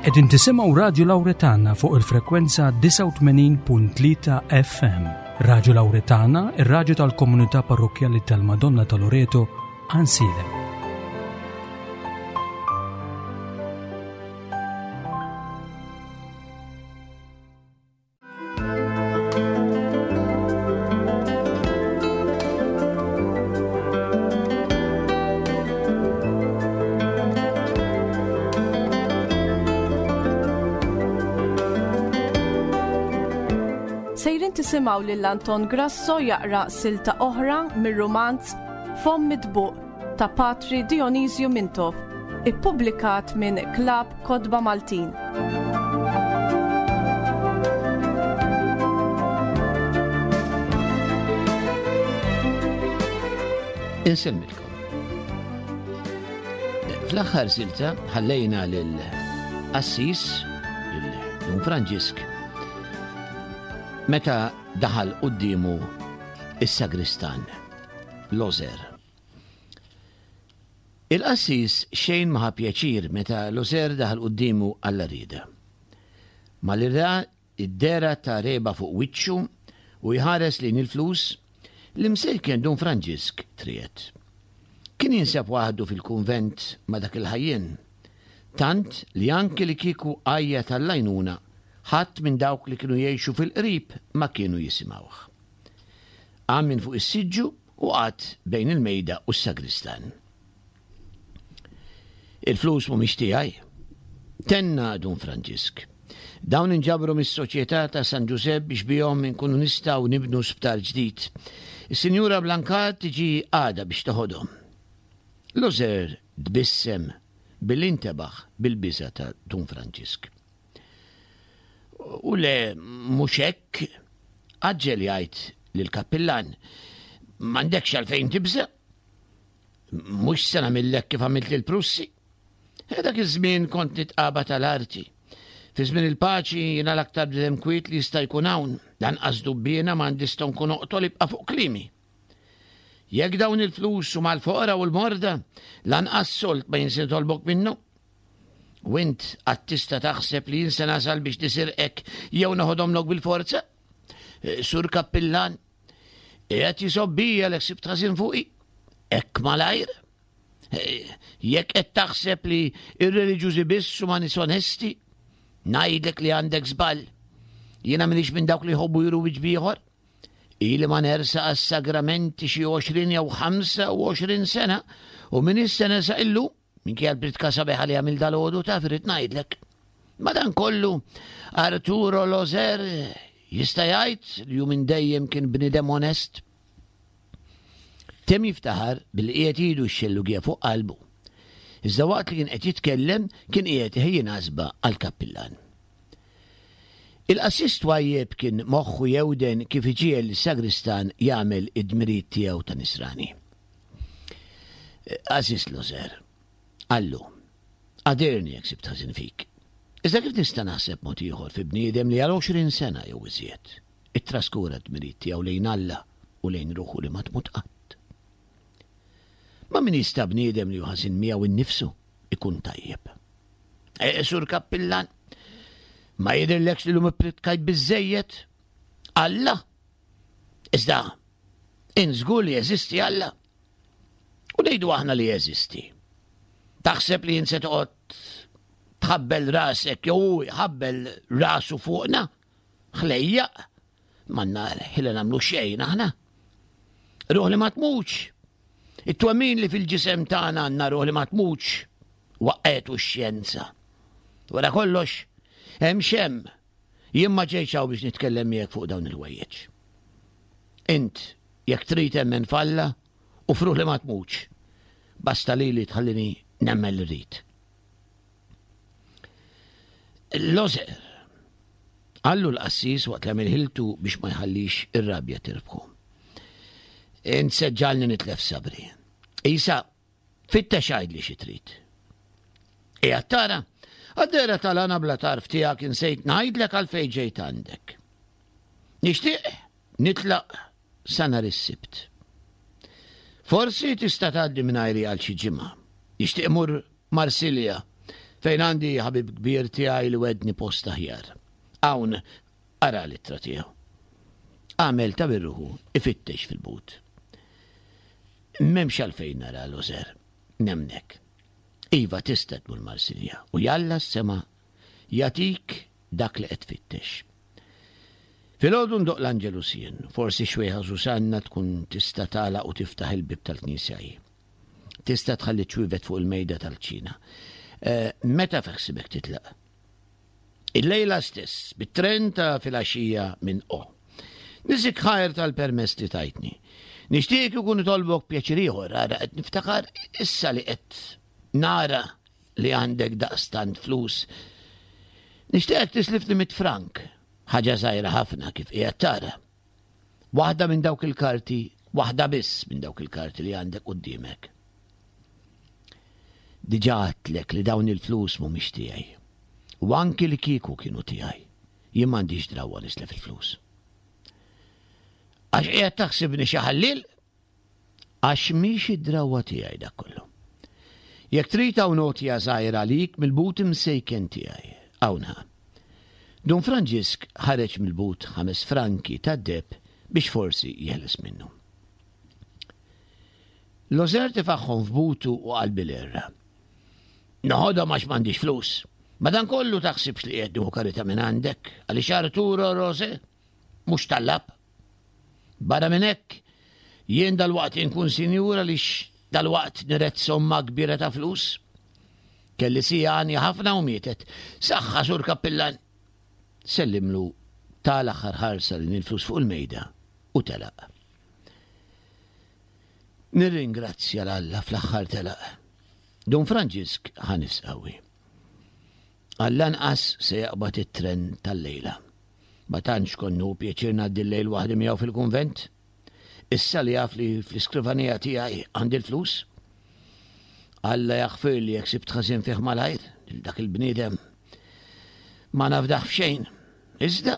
Qegħdin tisimgħu Radju Lawretana fuq il-frekwenza 89.3 FM. Radju Lawretana, ir-radju tal-komunità parrokkjali tal-Madonna ta' Loreto, Ansilem. Sejrin tisimgħu lil Anton Grasso jaqra silta oħra mir-rumanz Fomm Mitbuq ta' Patri Dionisju Mintoff, ippubblikat minn Klabb Kotba Maltin. Insellmilkom. Fl-aħħar silta ħallejna lil Assis, lil Dun Franġisk, meta daħal quddiemu is-sagristan, Lozer. Il-qassis xejn ma ħa pjaċir meta Lozer daħal quddiemu għall-għarrieda. Malli ra d-dehra ta' regħba fuq wiċċu u jħares lejn il-flus, l-imsejken Dun Franġisk triegħed. Kien jinsab waħdu fil-kunvent ma' dak il-ħajjien, tant li anki li kieku għajjat għall-għajnuna, ħadd minn dawk li kienu jgħixu fil-qrib ma kienu jisimgħuh. Qam minn fuq is-siġġu u qagħad bejn il-mejda u s-sagristan. Il-flus mhumiex tiegħi. Tenna Dun Franġisk. Dawn inġabru mis-Soċjetà ta' San Ġużepp biex bihom inkunu nistgħu nibnu sptar ġdid. Is-Sinjura Blancard tiġi għada biex toħodhom. Loser tbissem billi ntebaħ bil-biża' ta' Dun Franġisk. U le, mhux hekk, għaġġel jgħid lill-kappillan. M'għandekx għalfejn tibża'. Mhux se nagħmillek kif għamilt lill-Prussi. Eh, dak iż-żmien kont nitqaba tal-arti. Fi żmien il-paċi jiena l-aktar bniedem kwiet li jista' jkun hawn. Lanqas dubbiena m'għandi stonku noqtol ibqa' fuq kliemi. Jekk dawn il-flus huma l-foqra u l-morda, lanqas sold ma jien se nitolbok minnu. U int qatt tista' taħseb li jien se nasal biex nisirqek jew noħodhomlok bil-forza? Eh, Sur Kappillan, qiegħed jisobbija l ħsibt ħażin fuqi. Hekk malajr. Eh, jekk qed taħseb li ir-reliġjużi biss huma nies onesti, ngħidlek li għandek żball. Jiena m'iniex minn dawk li jħobbu juru wiċċ bieħor. Ili ma nersaq għas-sagramenti xi 20 jew 25 sena u min issa nersaq illum Minkejja l-pritka sabiħa li għamil dal-għodu taf irrid ngħidlek. Madankollu, Arturo Lozer jista' jgħid li hu minn dejjem kien bniedem onest. Temm jiftaħar billi qiegħed idu x-xellugija fuq qalbu. Iżda waqt li kien qed jitkellem kien qiegħed iħejji nasba għall-kappillan. Il-qassis twajjeb kien moħħu jewden kif iġiegħel lis-sagristan jagħmel id-dmirijiet tiegħu ta' nisrani. Għażiż Loser, qallu, għadirni jekk sibt ħażin fik. Iżda kif nista' naħseb mod ieħor fi bniedem li għal 20 sena jew iżjed ittraskura d-dmirijiet tiegħu lejn Alla u lejn ruħu li ma tmut qatt? Ma' min jista' bniedem li hu ħażin miegħu innifsu ikun tajjeb? E, Sur Kappillan, ma jidhirlekx li llum ippritkajt biżżejjed? Alla? Iżda, int żgur li jeżisti Alla? U ngħidu aħna li jeżisti. Taħseb li jien se toqgħod tħabbel rasek jew hu jħabbel rasu fuqna? Ħlejjaq, manna ħila nagħmlu xejn aħna. Ruħ li ma tmutx. It-twemmin li fil-ġisem tagħna għandna ruħ li ma tmutx waqqetu x-xjenza. Wara kollox, hemm xem Jien ma ġejtx hawn biex nitkellem miegħek fuq dawn il-ħwejjeġ. Int, jekk trid emmen f'Alla u f'ruħ li ma tmutx, basta lili tħallini nemmen li rrid. Lozer, qallu l-qassis waqt li għamil ħiltu biex ma jħallix ir-rabja tirbħu. Int se ġġagħalni nitlef sabri. Isa, Fittex għidli xi trid. Qiegħed tara? Għad-dehra tal-għana bla tarf tiegħek insejt ngħidlek għalfejn ġejt għandek. Nixtieq nitlaq sa nhar is-Sibt. Forsi tista' tgħaddi mingħajri għal xi ġimgħa. Nixtieq imur Marsilja. Fejn għandi ħabib kbir tiegħi li wegħdni post aħjar. Hawn ara l-ittra tiegħu. Għamel ta' birruħu ifittex fil-but. M'hemmx għalfejn nara Loser. Nemmnek. Iva tista' tmur Marsilja u jalla s-sema jagħtik dak li qed tfittex. Filgħodu ndoqq l-Angelus jien, forsi xwejħa Susanna tkun tista' tagħlaq u tiftaħ il-bieb tal-knisja hi. Tista' tħalli ċ-ċwievet fuq il-mejda tal-kċina. Eh, meta feħsibek titlaq? Illejla stess, bit-tren ta' filgħaxija minn O. Niżik ħajr tal-permess li tajtni. Nixtieq ikun nitolbok pjaċir ieħor, ara qed niftakar issa li qed nara li għandek daqstant flus. Nixtieqek tislifni mit frank, ħaġa żgħira ħafna kif qiegħed tara. Waħda minn dawk il-karti, waħda biss minn dawk il-karti li għandek quddiemek. Diġà għedtlek li dawn il-flus mhumiex tiegħi. U anki li kieku kienu tiegħi, jien m'għandix drawwa nislef il-flus. Għax qiegħed taħsibni xi ħalliel? Għax mhix id-drawwa tiegħi dak kollu. Jekk trid hawn għotja żgħira għalik mill-but imsejken tiegħi. Hawn ħa. Dun Franġisk ħareġ mill-but ħames franki tad-deheb biex forsi jeħles minnu. Lożer tefagħhom f'butu u qal bil-għerra. Noħodhom għax m'għandix flus. Madankollu taħsibx li qiegħed nieħu karità minn għandek għaliex Arturo Rose mhux tallab. Barra minn hekk, jien dalwaqt inkun sinjur għaliex dalwaqt niret somma kbira ta' flus. Kelli sija għanja ħafna u mietet. Saħħa, Sur Kappillan! Sellimlu ta l-aħħar ħarsa lejn il-flus fuq il-mejda u telaq. Nirringrazzja 'l Alla fl-aħħar telaq. Dun Franġisk ħa nifs qawwi. Għall-anqas se jaqbad it-tren tal-lejla. Ma tantx kont nieħu pjaċir ngħaddi l-lejl waħdi miegħu fil-kunvent. Issa li jaf li fl-iskrivanija tiegħi għandi l-flus. Alla jaħfirli jekk sibt ħażin fih malajr, lil dak il-bniedem. Ma nafdah f'xejn. Iżda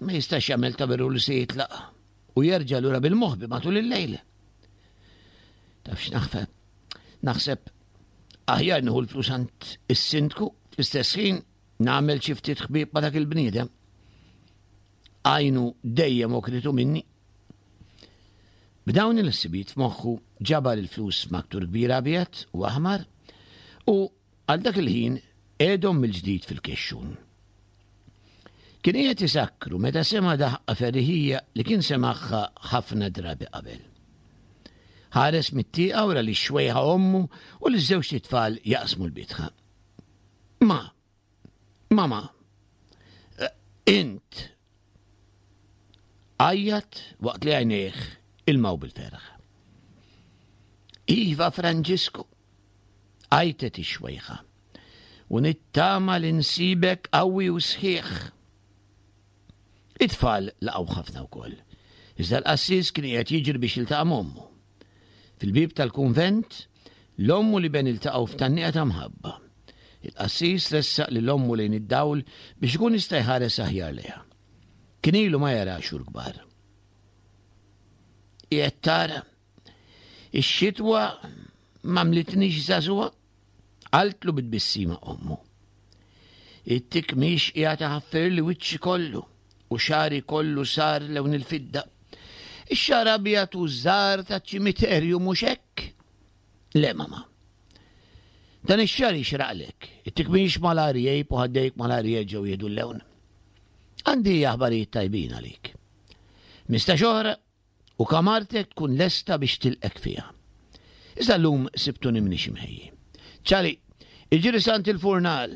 ma jistax jagħmel ta' veru li se jitlaq u jerġa' lura bil-moħbi matul il-lejl. Taf x'naħseb? Naħseb aħjar nieħu l-flus għand is-sindku fl-istess ħin nagħmel xi ftit ħbieb ma' dak il-bniedem. Għajnu dejjem okritu minni. B'dawn il-ħsibijiet f'moħħu ġabar il-flus f'maktur kbir abjad u aħmar u għal dak il-ħin qiegħdhom mill-ġdid fil-kexxun. Kien qiegħed isakkru meta sema' daħqa ferriħija li kien semagħha ħafna drabi qabel. Ħares mit-tieqa u ra lix-xwejħa ommu u liż-żewġt itfal jaqsmu l-bitħa. Ma, mama, eh, int! Għajjat waqt li għajnejh ilmaw bil-ferħ. Iva Franġisku, għajtet ix-xwejħa. U nittama li nsibek qawwi u sħiħ. It-tfal laqgħu ħafna wkoll. Iżda l-qassis kien qiegħed jiġri biex jiltaqa' m'ommu. Fil-bieb tal-kunvent, l-omm u l-iben iltaqgħu f'tgħanniqa ta' mħabba. Il-qassis ressaq lil ommu lejn id-dawl biex ikun jista' jħares aħjar lejha. Kien ilu ma jaraha xhur kbar. Qiegħed tara, ix-xitwa m'għamlitnix żagħżugħa? Qaltlu bi tbissima ommu. It-tikmix qiegħed iħaffirli wiċċi kollu u xagħri kollu sar lewn il-fidda. Ix-xagħar abjad u żgħar taċ-ċimiterju mhux hekk? Le, mama. Dan ix-xagħar jixraqlek. It-tikmix malajr jgħib u ħaddejk malajr jerġgħu jieħdu l-lewn. Għandi aħbarijiet tajbin għalik. Mistax oħra u kamartek tkun lesta biex tilqek fiha. Iżda llum sibtuni m'iniex imħejji. Ċari, iġri sant il-furnal,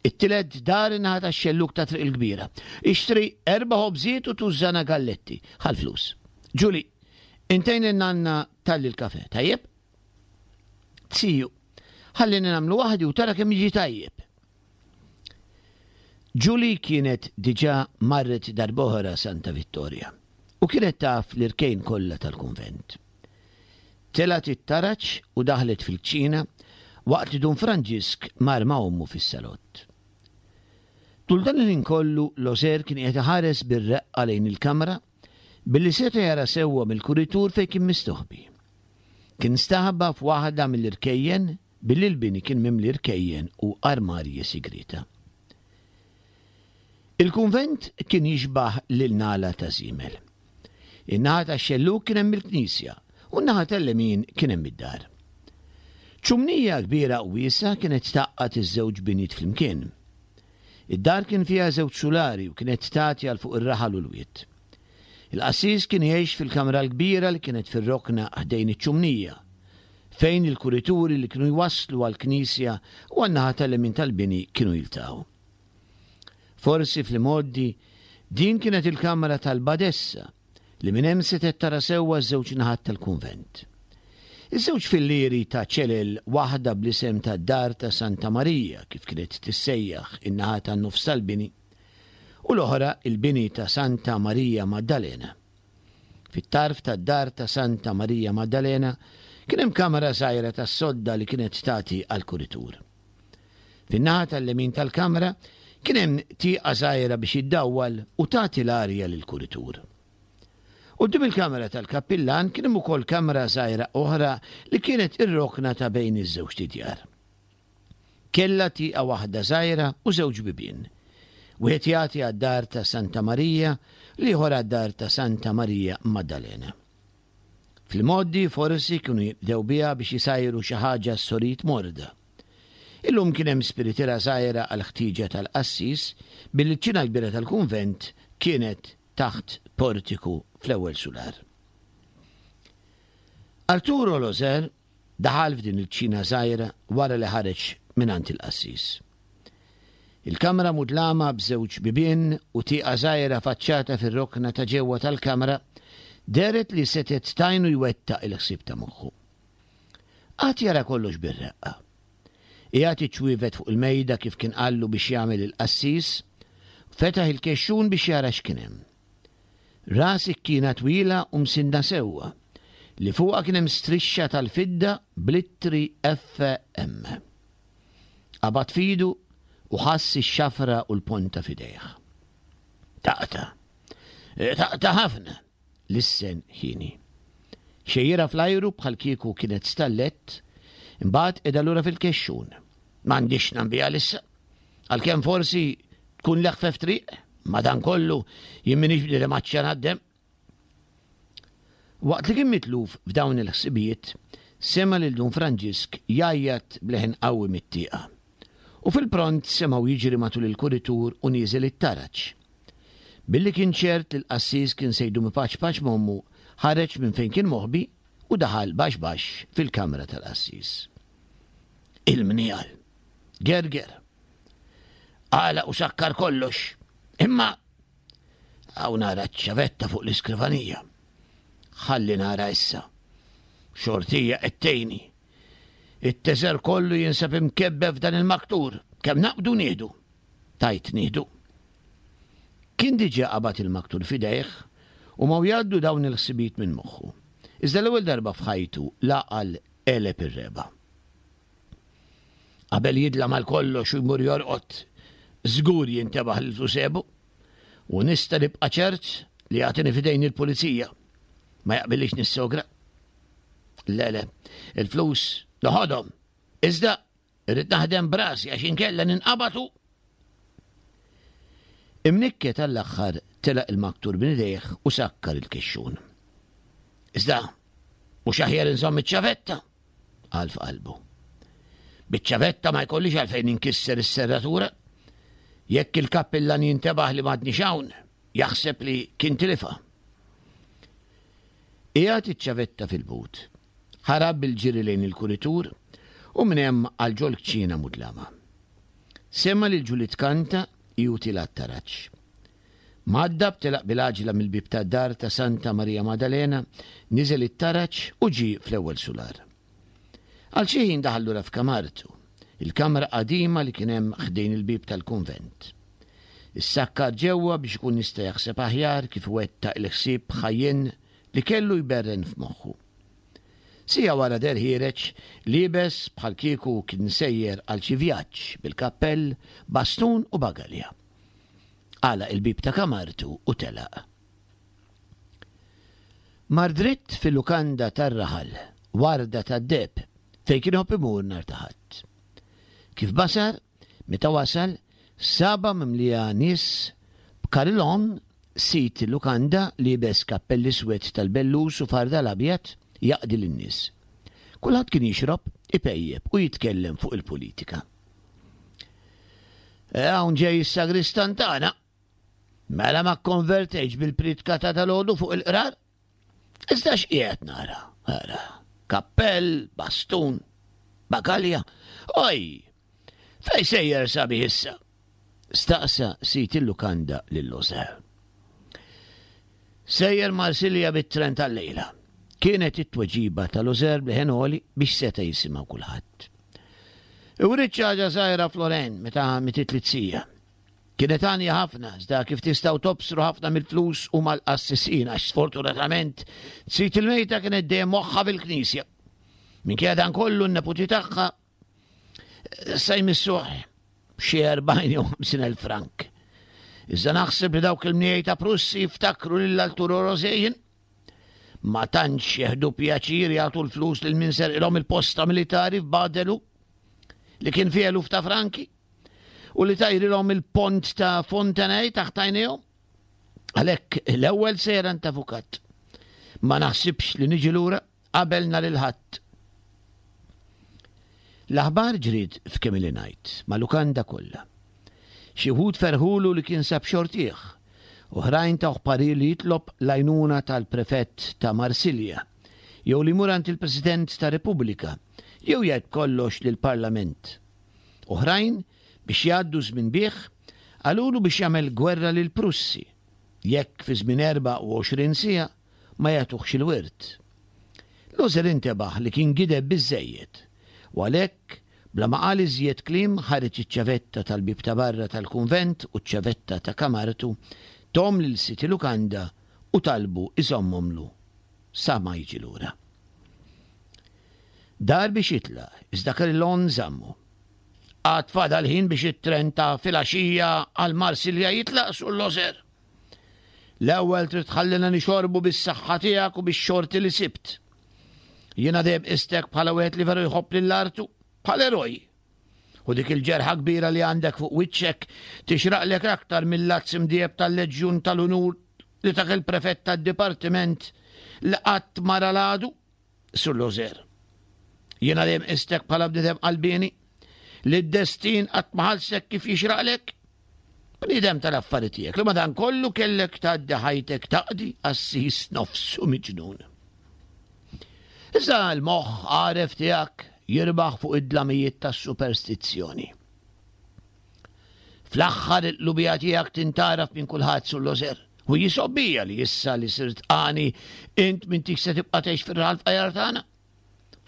it-tielet dar in-naħa tax-xellug ta' Triq il-Kbira. Ixtri erba' ħobżiet u tużżana galletti. Ħa l-flus. Ġuli, intejn lin-nanna talli l-kafè, tajjeb? Ziju, ħallini nagħmlu waħdi u tara kemm jiġi tajjeb. Julie kienet diġà marret darb'oħra Santa Vittoria u kienet taf l-irkejn kollha tal-kunvent. Telgħet it-taraġ u daħlet fil-kċina waqt li Dun Franġisk mar ma' ommu fis-salott. Tul dan il-ħin kollu Loser kien qiegħed iħares bir-reqqa lejn il-kamra billi seta' jara sewwa mill-kuritur fejn kien mistoħbi. Kien staħba f'waħda mill-irkejjen. billi l-bini kien mimli rkejjen u armarji sigrieta. Il-kunvent kien jixbah lil nagħla ta' żiemel. In-naħa tax-xellug kien hemm il-knisja u n-naħa tal-lemin kien hemm id-dar. Ċumnija kbira u wiesgħa kienet tgħaqqad iż-żewġ binjiet flimkien. Id-dar kien fiha żewġ sulari u kienet tagħti għal fuq ir-raħal u l-wied. Il-qassis kien jgħix fil-kamra l-kbira li kienet fir-rokna ħdejn iċ-ċumnija, fejn il-kurituri li kienu jwasslu għall-knisja u għan-naħa tal-lemin tal-bini kienu jiltaqgħu. Forsi fl-imgħoddi din kienet il-kamra tal-badessa li minn hemm setgħet tara sewwa ż-żewġ naħat tal-kunvent. Iż-żewġ fillieri ta' ċelel waħda bl-isem ta' Dar ta' Santa Marija kif kienet tissejjaħ in-naħa tan-nofs tal-bini u l-oħra il-bini ta' Santa Marija Maddalena. Fit-tarf tad-dar ta' Santa Marija Maddalena kien hemm kamra żgħira tas-sodda li kienet tagħti għall-kuritur. Fin-naħa tal-lemin tal-kamra kien hemm tieqa żgħira biex iddawwal u tagħti l-arja lill-kuritur. Quddiem il-kamra tal-kappillan kien hemm ukoll kamra żgħira oħra li kienet ir-rokna ta' bejn iż-żewġt idjar. Kellha tieqa waħda żgħira u żewġ bibien. Wieħed jagħti għad-dar ta' Santa Marija, l-ieħor għad-dar ta' Santa Marija Maddalena. Fl-imgħoddi forsi kienu jinqdew biha biex isajru xi ħaġa s-sorijiet morda. Illum kien hemm spiritiera żgħira għall-ħtieġa tal-qassis billi ċ-ċina l-kbira tal-kunvent kienet taħt portiku fl-ewwel sular. Arturo Loser Daħal f'din il-kċina żgħira wara li ħareġ mingħand il-qassis. Il-kamra mudlama b'żewġ bibien u tieqa żgħira faċċata fir-rokna ta' ġewwa tal-kamra dehret li setgħet tgħinu jwettaq il-ħsieb ta' moħħu. Qagħad jara kollox bir-reqqa. Qiegħed iċ-ċwievet fuq il-mejda kif kien qallu biex jagħmel il-qassis, fetaħ il-kexxun biex jara x'kien hemm. Ra sikkina twila u msinna sewwa, li fuqha kien hemm strixxa tal-fidda bl-ittri FM. Qabad f'idu u ħass ix-xafra u l-ponta f'idejh. Taqta'. Taqta' ħafna, lissen Hieni. Xejjirha fl-ajru bħalkieku kienet stallett, imbagħad qegħda lura fil-kexxun. M'għandix x'nagħmel issa. Għalkemm forsi tkun l-eħfef triq, madankollu jien m'iniex bniedem għatxan għad-demm. Waqt li kien mitluf f'dawn il-ħsibijiet, sema' lil Dun Franġisk jgħajjat b'leħen qawwi mit-tieqa. U fil-pront semgħu jiġri matul il-kuritur u nieżel it-taraġ. Billi kien ċert li l-qassis kien se jdum ipaċpaċ m'ommu, ħareġ minn fejn kien moħbi u daħal baxx baxx fil-kamra tal-qassis. Il-mniegħal! Gerger. Għalaq u sakkar kollox. Imma hawn nara ċ-ċavetta fuq l-iskrivanija. Ħalli nara issa. Xortija qed tgħinni. It-teżer kollu jinsab imkebbe f'dan il-maktur. Kemm naqbdu nieħdu. Tajt nieħdu. Kien diġà qabad il-maktur f'idejh u ma jgħaddu dawn il-ħsibijiet minn moħħu. Iżda l-ewwel darba f'ħajtu l-għaqal għeleb ir-regħba. Qabel jidlam għal kollox u jmur jorqod, żgur jintebaħ li l-flus għebu. U nista' nibqa' ċert li jagħtini f'idejn il-pulizija. Ma jaqbillix nissogra. Le, le, il-flus noħodhom. Iżda irrid naħdem b'rasi għax inkella ninqabad u Imnikket għall-aħħar telaq il-maktur minn idejh u sakkar il-kexxun. Iżda, mhux aħjar inżomm iċ-ċavetta? qal f'qalbu. Biċ-ċavetta ma jkollix għalfejn inkisser is-serratura. Jekk il-kappillan jintebaħ li m'għadniex hawn, jaħseb li kien tilifha. Qiegħed iċ-ċavetta fil-but. Ħarab bil-ġiri lejn il-kuritur u minn hemm għal ġol-kċina mudlama. Sema' lil Ġuli tkanta hi u tilgħa t-taraġ. Mgħaddab telaq bil-għaġla mill-bieb tad-dar ta' Santa Marija Madalena, niżel it-taraġ u ġie fl-ewwel sular. Għal xi ħin daħal lura f'kamartu, il-kamra qadima li kien hemm ħdejn il-bieb tal-kunvent. Issakkar ġewwa biex ikun jista' jaħseb aħjar kif iwettaq il-ħsieb ħajjin li kellu jberren f'moħħu. Siegħa wara deher ħiereġ, liebes bħalkieku kien sejjer għal xi vjaġġ, bil-kappell, bastun u bagalja. Għalaq il-bieb ta' kamartu u telaq. Mar dritt fil-lukanda tar-raħal, Warda tad-Deheb, fejn kien iħobb imur nhar ta' Ħadd. Kif basar, meta wasal, sabha mimlija nies b'Carillon, sid il-lukanda, liebes kappell iswed tal-bellus u fardal abjad, jaqdi lin-nies. Kulħadd kien jixrob, ipejjep u jitkellem fuq il-politika. E, hawn ġej is-sagristan tagħna. Mela ma kkonvertejtx bil-priedka ta' dalgħodu fuq il-qrar? Iżda x'qiegħed nara? Ara, kappell, bastun, bagalja. Oj! Fej sejjer sabiħ issa? Staqsa sid il-lukanda lil Loser. Sejjer Marsilja bit-tren tal-lejla. Kienet it-tweġiba ta' Loser b'leħen għoli biex seta' jisimgħu kulħadd. Iwrid ħaġa żgħira Floren meta mitiet li-tsija. Kienet għanja ħafna, iżda kif tistgħu tobsru ħafna mill-flus huma l-qassisin għax sfortunatament sid il-mejta kienet dejjem moħħha fil-knisja. Minkejja dan kollu n-neputi tagħha sa jmissuh xi 40 jew 50 elf frank. Iżda naħseb li dawk il-mniej ta' Prussi jiftakru lil Arturo Rosejn ma tantx jeħdu pjaċir jagħtu l-flus lil min serqilhom il-posta militari f'Badelu li kien fih eluf ta' franki. U li tajrilhom il-pont ta' Fontenay taħt għajnejhom. Għalhekk l-ewwel sejra għand avukat. Ma naħsibx li niġi lura qabel nhar il-Ħadd. L-aħbar ġriet f'kemm ili ngħid, ma' lukanda kollha. Xi wħud ferħulu li kien sab xortih, oħrajn tawh parir li jitlob l-għajnuna tal-prefett ta' Marsilja, jew li jmur għand il-President tar-Repubblika, jew jgħid b'kollox lill-Parlament. Oħrajn, biex jgħaddu ż-żmien bih, qalulu biex jagħmel gwerra lill-Prussi, jekk fi żmien 24 siegħa ma jagħtuhx il-wirt. Luther intebaħ li kien gideb biżżejjed, u għalhekk, bla ma qal iżjed kliem ħareġ iċ-ċavetta tal-bieb ta' barra tal-kunvent u ċ-ċavetta ta' kamartu, thom lil sid il-lukanda u talbu iżommhomlu sa ma jiġi lura. Dar biex jitlaq, iżda Carillon żammu. Għad fadal ħin biex it-tren ta' filgħaxija għal Marsilja jitlaq, Sur Loser. L-ewwel trid tħallina nixorbu bis-saħħa tiegħek u bix-xorti li sibt. Jiena dejjem qistek bħala wieħed li veru jħobb lil artu, bħal eroj. U dik il-ġerħa kbira li għandek fuq wiċċek tixraqlek aktar mill-lazz imdieb tal-Leġjun tal-Unur li tak il-prefett tad-dipartiment li qatt ma ra l-għadu. Sur Loser. Jiena dejjem qistek bħala bniedem qalbieni li d-destin qatt ma ħallsek kif jixraqlek. Bniedem tal-affari tiegħek li madankollu kellek tgħaddi ħajtek taqdi qassis nofsu miġnun. Iżda l-moħħ għaref tiegħek jirbaħ fuq id-dlamijiet tas-superstizzjoni. Fl-aħħar il-qlubija tiegħek tintgħaraf minn kulħadd Sur Loser. U jisobbija li issa li sirt għani int m'intix se tibqa' tgħix fir-raħal fqajjar tagħna.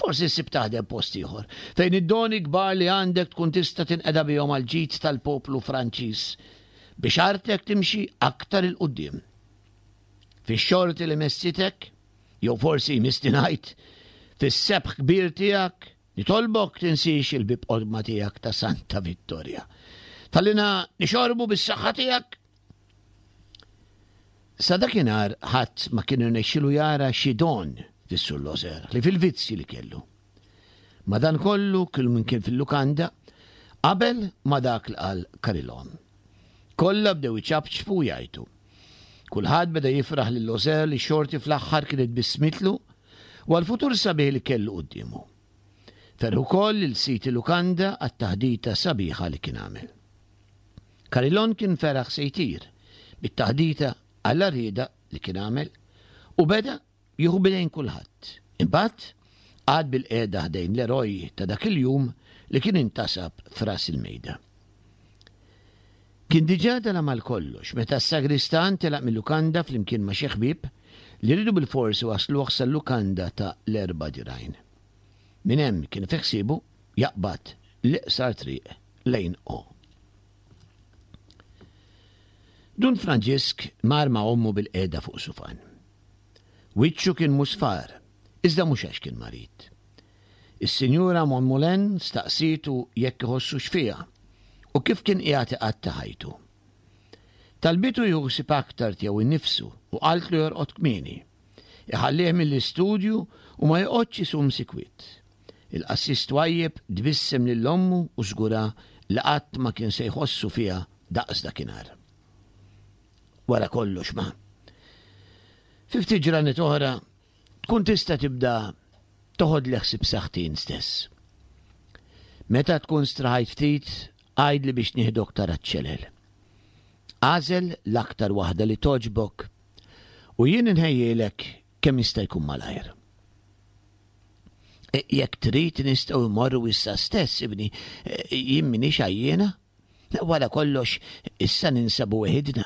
Forsi ssib taħdem post ieħor, fejn id-doni kbar li għandek tkun tista' tinqeda bihom għall-ġid tal-poplu Franċiż, biex artek timxi aktar 'il quddiem. Fix-xorti li messitek, jew forsi jmissni ngħid, fis-sebħ kbir tiegħek, Nitolbok tinsiex il-bieb qodma tiegħek ta' Santa Vittoria. Tallina nixorbu bis-saħħa tiegħek. Sa dakinhar ħadd ma kien irnexxilu jara xi don fis-Sur Loser li fil-vizzji li kellu. Madankollu kull min kien fil-lukanda qabel ma dak li qal Carillon. Kollha bdew iċapċpu u jgħajtu. Kulħadd beda jifraħ lil Loser li x-xorti fl-aħħar kienet bissmitlu u għall-futur sabiħ li kellu quddiemu. Ferħ ukoll lil sid il-lukanda għat-taħdita sabiħa li kien għamel. Carillon kien feraħ se jtir bit-taħdita għall-għarrieda li kien għamel u beda jieħu b'idejn kulħadd. Imbagħad qagħad bilqiegħda ħdejn l-eroj ta' dak il-jum li kien intasab f'ras il-mejda. Kien diġà dalam għal kollox meta s-sagristan telaq mil-lukanda flimkien ma' xi ħbieb li riedu bilfors iwassluh sal-lukanda ta' l-Erba' Dirgħajn. Minn hemm kien fi ħsiebu jaqbad l-iqsar triq lejn O. Dun Franġisk mar ma' ommu bilqiegħda fuq sufan. Wiċċu kien musfar, iżda mhux għax kien marid. Is-Sinjura Monmoulin staqsietu jekk iħossux fiha u kif kien qiegħed iqatta' ħajtu. Talbitu jieħu ħsieb aktar tiegħu nnifsu u qaltlu jorqod kmieni, iħallih mill-istudju u ma joqgħodx isum sikwit. Il-qassis twajjeb tbissem lil ommu u żgurha li qatt ma kien se jħossu fiha daqs dakinhar. Wara kollox ma. Fi ftit ġranet oħra tkun tista' tibda toħodli ħsieb saħħti int stess. Meta tkun straħajt ftit, għidli biex nieħdok tara ċ-ċelel. Agħżel l-aktar waħda li togħġbok u jien inħejjielek kemm jista' jkun malajr. E, jekk trid nistgħu mmorru issa stess, ibni, e, jien m'iniex għajjiena. Wara kollox, issa ninsabu weħidna.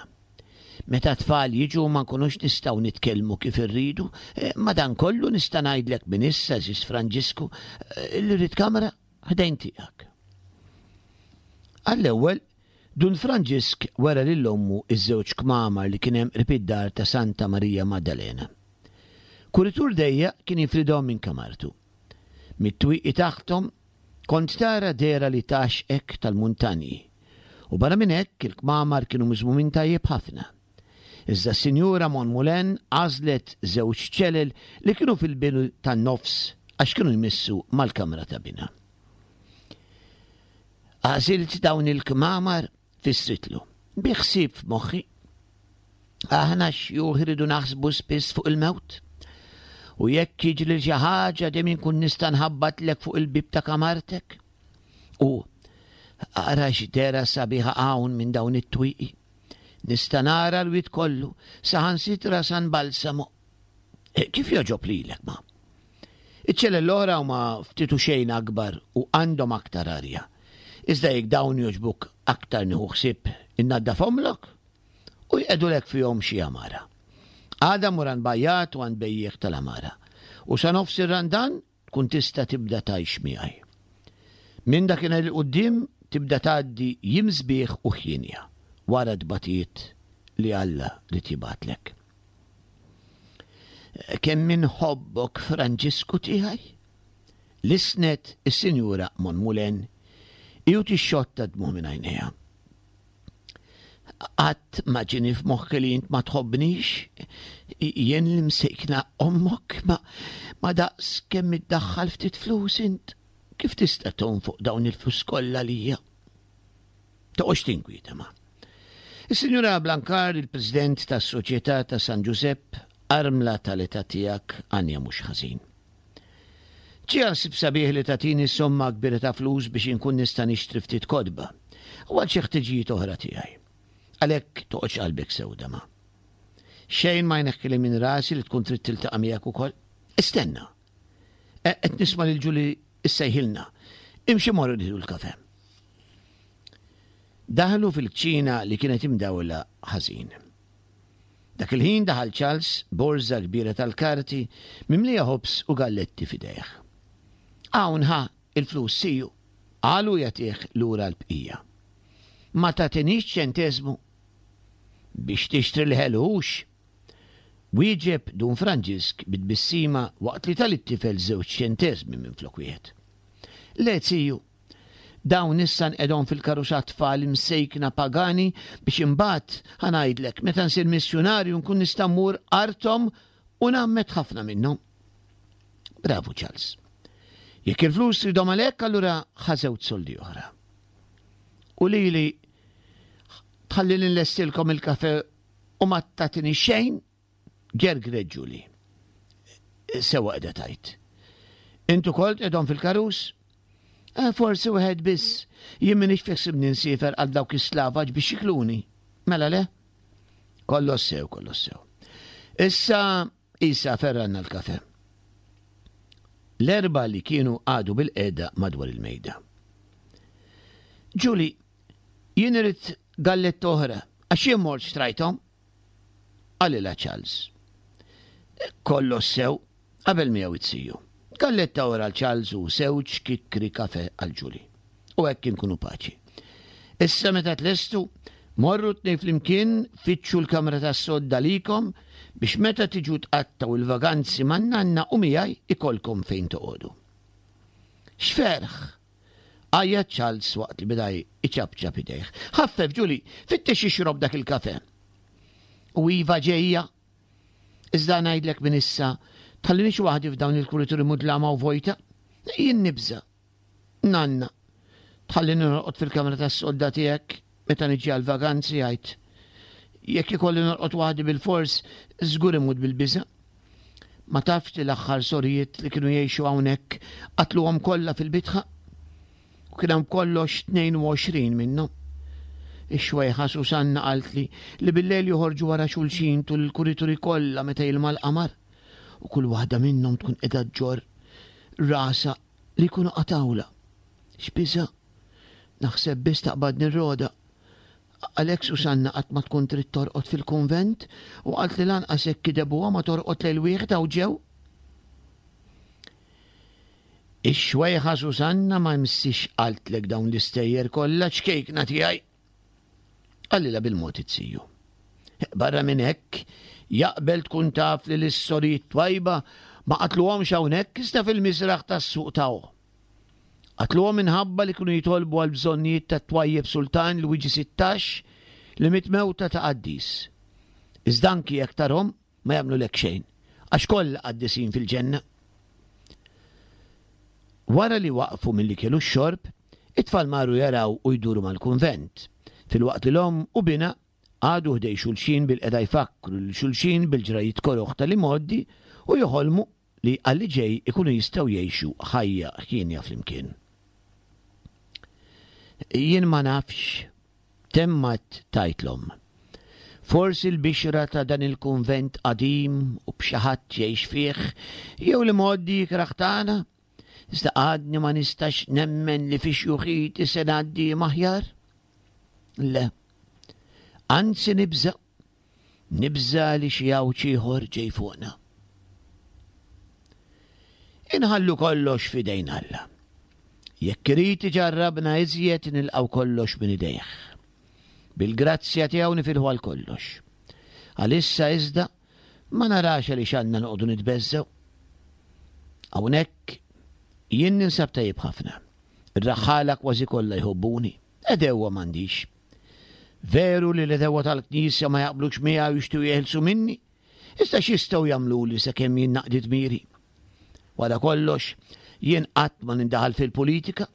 Meta t-tfal jiġu ma nkunux nistgħu nitkellmu kif irridu, e, madankollu nista' ngħidlek minn issa, żis Franġisku, li rrid kamra ħdejn tiegħek. Għall-ewwel, Dun Franġisk wera lil ommu ż-żewġ kmamar li kien hemm qrib id-dar ta' Santa Marija Maddalena. Kuritur dejjaq kien jifridhom minn kamartu. Mit-twieqi taħthom kont tara dehra li tgħaxxqek tal-muntanji. U barra minn hekk il-kmamar kienu miżmumin tajjeb ħafna. Iżda s-Sinjura Monmoulin għażlet żewġ ċelel li kienu fil-bidu tan-nofs għax kienu jmissu mal-kamra ta' binha. Għażilt dawn il-kmamar, fissritlu, bi ħsieb f'moħħi. Aħna xjuħ iridu naħsbu spiss fuq il-mewt. U jekk jiġri xi ħaġa dejjem inkun nista' nħabbatlek fuq il-bib ta' kamartek. U ara x'dera sabiħa hawn minn dawn it-twieqi. Nista' nara l-wied kollu, saħansitra San Balsamo. Eh, kif joġob lilek ma? Iċ-ċelel l-oħra huma ftit u xejn akbar u għandhom aktar arja. Iżda jekk dawn jogħġbuk aktar nieħu ħsieb innaddafhomlok u jqegħdulek fihom xi għamara. Għada mur għand bajjat u għand bejjiegħ tal-għamara u sa nofs ir-Randan tkun tista' tibda tgħix miegħi. Minn dakinhar 'il quddiem tibda tgħaddi jiem sbieħ u ħienja wara t-tbatijiet li Alla ried jibgħatlek. Kemm inħobbok Franġisku tiegħi! Lissnet is-Sinjura Monmulen hi u tixxotta d-dmugħ minn għajnejha. Qatt ma ġieni f'moħħi li int ma tħobbnix, jien l-imsejkna ommok ma, ma daqs kemm iddaħħal ftit flus int kif tista' tonfoq dawn il-flus kollha għalija? Toqgħodx tinkwieta ma. Is-Sinjura Blancard, il-President tas-Soċjetà ta' San Ġużepp, armla tal-età tiegħek għanja mhux ħażin. Ġie ħsieb sabiħ li tagħtini somma kbira ta' flus biex inkun nista' nixtri ftit kotba u għal xi ħtiġijiet oħra tiegħi. Għalhekk toqgħodx qalbek sewda ma. Xejn ma jneħħili minn rasi li tkun trid tiltaqa' miegħek ukoll. Istenna. E, qed nisma' lil Ġuli issejħilna. Imxi morru nieħdu l-kafe. Daħlu fil-kċina li kienet imdawla ħażin. Dak il-ħin daħal Charles borża kbira tal-karti mimlija ħobż u galletti f'idejh. Hawn ħa il-flus siju, qal u jagħtih lura l-bqija. Ma tagħtinix ċenteżmu biex tixtri l-ħelu hux? Wieġeb Dun Franġisk bi tbissima waqt li ta lit-tifel żewġ ċenteżmi minflok wieħed. Le, ziju, dawn issa nqegħdhom fil-karus għat-tfal imsejkna pagani biex imbagħad, ħa ngħidlek, meta nsir missjunarju nkun nista' mmur arthom u ngħammed ħafna minnhom. Bravu Charles. Jekk il-flus tridhom għalhekk allura ħa żewġ soldi oħra. U lili tħallili nlestilkom il-kafe U ma tagħtini xejn, gergret Julie. Sewwa qiegħda tgħid. Int ukoll tqegħdhom fil-karus? Eh, forsi wieħed biss. Jien m'iniex fi ħsibni nsiefer għal dawk is-slavaġ biex jikluni. Mela le? Kollox sew, kollox sew. Issa isa ferranna l-kafe. L-erba li kienu għadu bil-qeda madwar il-mejda. Julie, Jien irrid galletta oħra, għax jien mort xtrajthom. Qalilha Charles. Kollox sew, qabel miegħu it-siju. Galletta oħra għal Charles u sewġ kikkri kafe għal Julie. U hekk inkunu paċi. Issa meta tlestu, morru tnej flimkien fittxu l-kamra tas-sodda likom biex meta tiġu tqattgħu il-vaganzi man-nanna u miegħi ikollkom fejn toqogħdu. X'ferħ! Għajjat Charles waqt li beda jċapċap idejh. Ħaffef, Julie, fittex ixrob dak il-kafe. U iva ġejja. Iżda ngħidlek minn issa, tħallinix waħdi f'dawn il-kurituri mudlama u vojta. Jien nibża'. Nanna, tħallini norqod fil-kamra tas-sodda tiegħek meta niġi għall-vaganzi għidt. Jekk ikolli norqod waħdi bilfors, żgur imut bil-biża'. Ma tafx li l-aħħar sorijiet li kienu jgħixu hawnhekk qatluhom kollha fil-bitħa? U kien hemm b'kollox 22 minnhom. Ix-xwejħa Susanna qaltli li bil-lejl joħorġu wara xulxin tul il-kurituri kollha meta jilma l-qamar u kull waħda minnhom tkun qiegħda ġġorr rasha li jkunu qatgħulha. X'biża'! Naħseb biss taqbadni r-rogħda. Għalhekk Susanna qatt ma tkun trid torqod fil-kunvent u qaltli lanqas hekk kidebuha ma torqod lejl wieħed hawn ġew. Ix-xwejħa Susanna ma jmissiex qaltlek dawn l-istejjer kollha ċkejkna tiegħi. Qalilha bil-mod it-siju. Barra minn hekk, jaqbel tkun taf li l-sorijiet twajba ma qatluhomx hawnhekk iżda fil-misraħ tas-suq ta' Qatluhom minħabba li kienu jitolbu għall-bżonnijiet tat-twajjeb sultan Lwiġi 16 li miet mewta ta' qaddis. Iżda anki jekk tarhom ma jagħmlulek xejn, għax kollha qaddisin fil-ġenna. Wara li waqfu mill-ikel u x-xorb, it-tfal marru jaraw u jduru mal-kunvent, filwaqt li l-omm u binha qagħdu ħdejn xulxin bilqiegħda jfakkru lil xulxin bil-ġrajjiet koroh tal-imgħoddi u joħolmu li għal li ġej ikunu jistgħu jgħixu ħajja hienja flimkien. Jien ma nafx, temmat tgħid l-omm. Forsi l-bixra ta' dan il-kunvent qadim u b'xi ħadd jgħix fih, jew l-imgħoddi ikrah tagħna, iżda għadni ma nistax nemmen li fi xjuħiti se ngħaddi jiem aħjar. Le. Anzi nibża' Nibża' li xi għawġ ieħor ġej fuqna. Inħallu kollox f'idejn Alla. Jekk irid iġarrabna iżjed nilqgħu kollox minn idejh. Bil-grazzja tiegħu nifilħu għal kollox. Għalissa iżda ma narax għaliex għandna noqogħdu nitbeżżgħu. Hawnhekk jien ninsab tajjeb ħafna. Ir-raħħala kważi kollha jħobbuni. Għedewwa m'għandix. Veru li l-għedewwa tal-Knisja ma jaqblux miegħi u jixtiequ jeħilsu minni, iżda x'jistgħu jagħmluli sakemm jien naqdi dmiri? Wara kollox, jien qatt ma nindaħal fil-politika,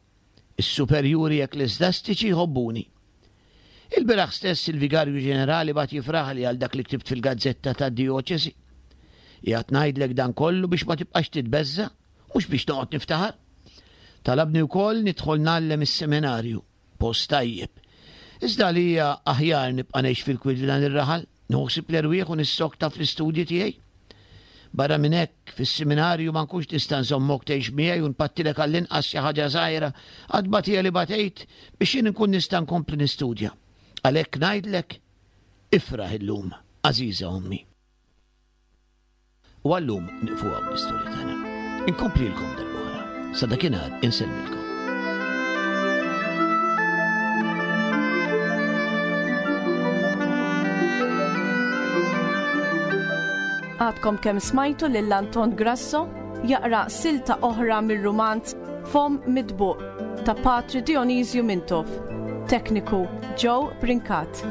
is-superjuri ekkleżjastiċi jħobbuni. Il-bieraħ stess il-Vigarju Ġenerali bagħat jifraħli għal dak li ktibt fil-gazzetta tad-dijoċesi. Qiegħed ngħidlek dan kollu biex ma tibqax titbeżża', mhux biex noqgħod niftaħar. Talabni wkoll nidħol ngħallem is-seminarju. Post tajjeb. Iżda għalija aħjar nibqa' ngħix fil-kwiet f'dan ir-raħal, nieħu ħsieb l-erwieħ u nissokta fl-istudji tiegħi. Barra minn hekk, fis-seminarju ma nkunx nista' nżommok tgħix miegħi u npattilek għall-inqas xi ħaġa żgħira għat-tbatija li batejt biex jien inkun nista' nkompli nistudja. Għalhekk ngħidlek, ifraħ illum, għażiża ommi. U għallum nieqfu hawn bl-istorja tagħna. Inkomplilkom darb'oħra. Sa dakinhar insellmilkom. Għadkom kemm smajtu lil Anton Grasso jaqra silta oħra mir-rumanz Fom Mitbuq ta' Patri Dionisju Mintoff. Tekniku Joe Brincat.